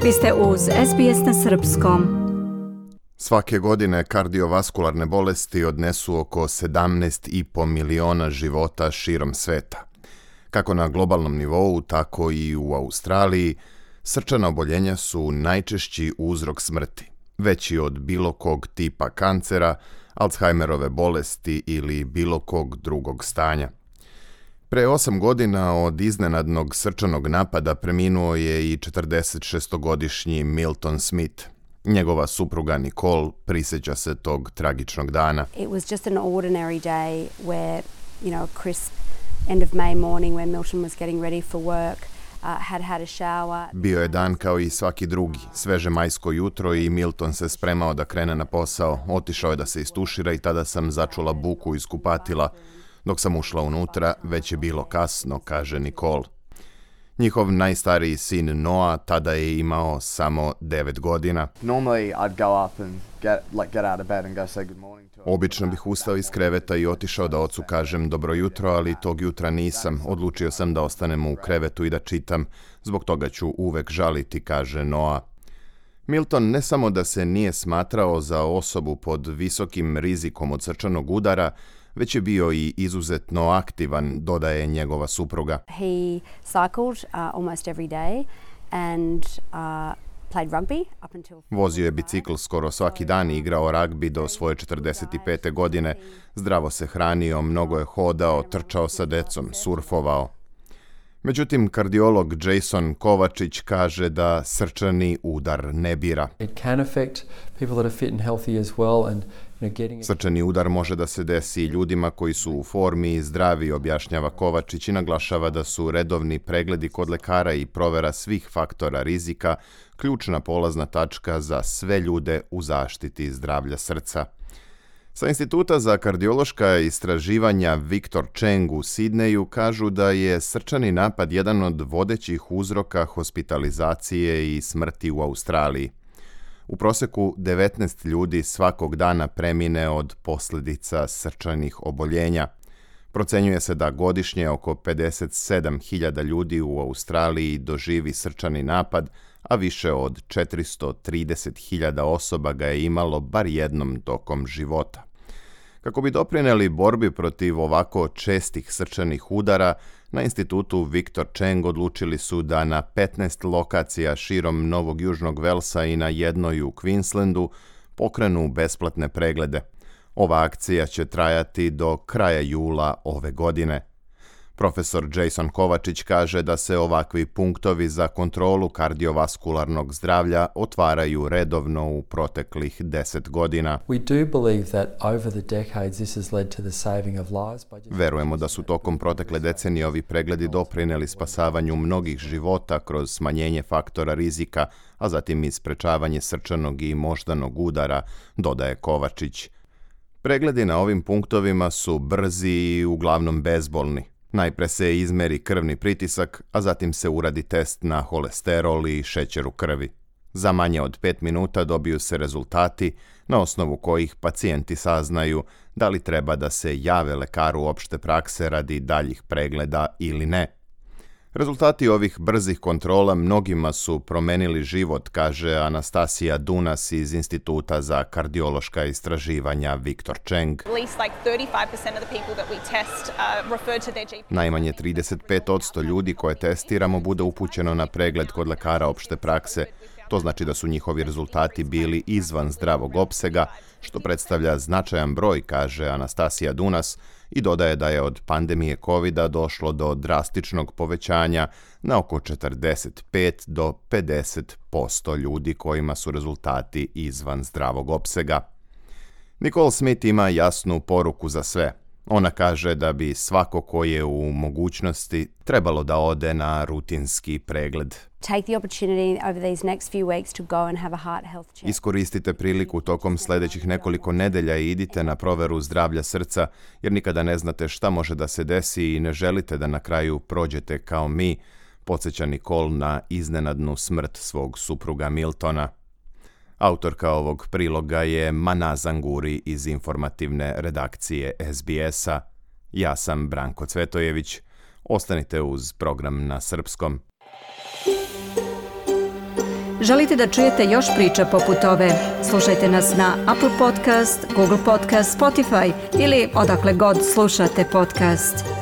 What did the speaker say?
Vi ste uz SBS na srpskom. Svake godine kardiovaskularne bolesti odnesu oko 17,5 miliona života širom sveta. Kako na globalnom nivou, tako i u Australiji, srčana oboljenja su najčešći uzrok smrti, veći od bilo kog tipa kancera, Alzheimerove bolesti ili bilo kog drugog stanja. Pre 8 godina od iznenadnog srčanog napada preminuo je i 46-godišnji Milton Smith. Njegova supruga Nicole prisjeća se tog tragičnog dana. It was just an ordinary day where, crisp end of May morning when Milton was getting ready for work. Had a shower. Bio je dan kao i svaki drugi, sveže majsko jutro i Milton se spremao da krene na posao. Otišao je da se istušira i tada sam začula buku iz kupatila. Dok sam ušla unutra, već je bilo kasno, kaže Nicole. Njihov najstariji sin Noah tada je imao samo 9 godina. Obično bih ustao iz kreveta i otišao da ocu kažem dobro jutro, ali tog jutra nisam. Odlučio sam da ostanem u krevetu i da čitam. Zbog toga ću uvek žaliti, kaže Noah. Milton ne samo da se nije smatrao za osobu pod visokim rizikom od srčanog udara, već je bio i izuzetno aktivan, dodaje njegova supruga. He cycled almost every day and played rugby up until... Vozio je bicikl skoro svaki dan i igrao ragbi do svoje 45. godine. Zdravo se hranio, mnogo je hodao, trčao sa decom, surfovao. Međutim, kardiolog Jason Kovačić kaže da srčani udar ne bira. Srčani udar može da se desi ljudima koji su u formi i zdravi, objašnjava Kovačić i naglašava da su redovni pregledi kod lekara i provera svih faktora rizika ključna polazna tačka za sve ljude u zaštiti zdravlja srca. Sa Instituta za kardiološka istraživanja Victor Cheng u Sidneju kažu da je srčani napad jedan od vodećih uzroka hospitalizacije i smrti u Australiji. U proseku 19 ljudi svakog dana premine od posljedica srčanih oboljenja. Procenjuje se da godišnje oko 57.000 ljudi u Australiji doživi srčani napad, a više od 430.000 osoba ga je imalo bar jednom tokom života. Kako bi doprinijeli borbi protiv ovako čestih srčanih udara, na institutu Victor Cheng odlučili su da na 15 lokacija širom Novog Južnog Velsa i na jednoj u Queenslandu pokrenu besplatne preglede. Ova akcija će trajati do kraja jula ove godine. Profesor Jason Kovačić kaže da se ovakvi punktovi za kontrolu kardiovaskularnog zdravlja otvaraju redovno u proteklih 10 godina. Verujemo da su tokom protekle decenije ovi pregledi doprinijeli spasavanju mnogih života kroz smanjenje faktora rizika, a zatim i sprečavanje srčanog i moždanog udara, dodaje Kovačić. Pregledi na ovim punktovima su brzi i uglavnom bezbolni. Najpre se izmeri krvni pritisak, a zatim se uradi test na holesterol i šećer u krvi. Za manje od 5 minuta dobiju se rezultati na osnovu kojih pacijenti saznaju da li treba da se jave lekaru opšte prakse radi daljih pregleda ili ne. Rezultati ovih brzih kontrola mnogima su promenili život, kaže Anastasija Dunas iz Instituta za kardiološka istraživanja Victor Cheng. Najmanje 35% ljudi koje testiramo bude upućeno na pregled kod lekara opšte prakse. To znači da su njihovi rezultati bili izvan zdravog opsega, što predstavlja značajan broj, kaže Anastasija Dunas, i dodaje da je od pandemije COVID-a došlo do drastičnog povećanja na oko 45 do 50% ljudi kojima su rezultati izvan zdravog opsega. Nicole Smith ima jasnu poruku za sve. Ona kaže da bi svako ko je u mogućnosti trebalo da ode na rutinski pregled. Iskoristite priliku tokom sljedećih nekoliko nedelja i idite na proveru zdravlja srca, jer nikada ne znate šta može da se desi i ne želite da na kraju prođete kao mi, podsjeća Nicole na iznenadnu smrt svog supruga Miltona. Autorka ovog priloga je Mana Zanguri iz informativne redakcije SBS-a. Ja sam Branko Cvetojević. Ostanite uz program na srpskom. Želite da čujete još priča poput ove? Slušajte nas na Apple Podcast, Google Podcast, Spotify ili odakle god slušate podcast.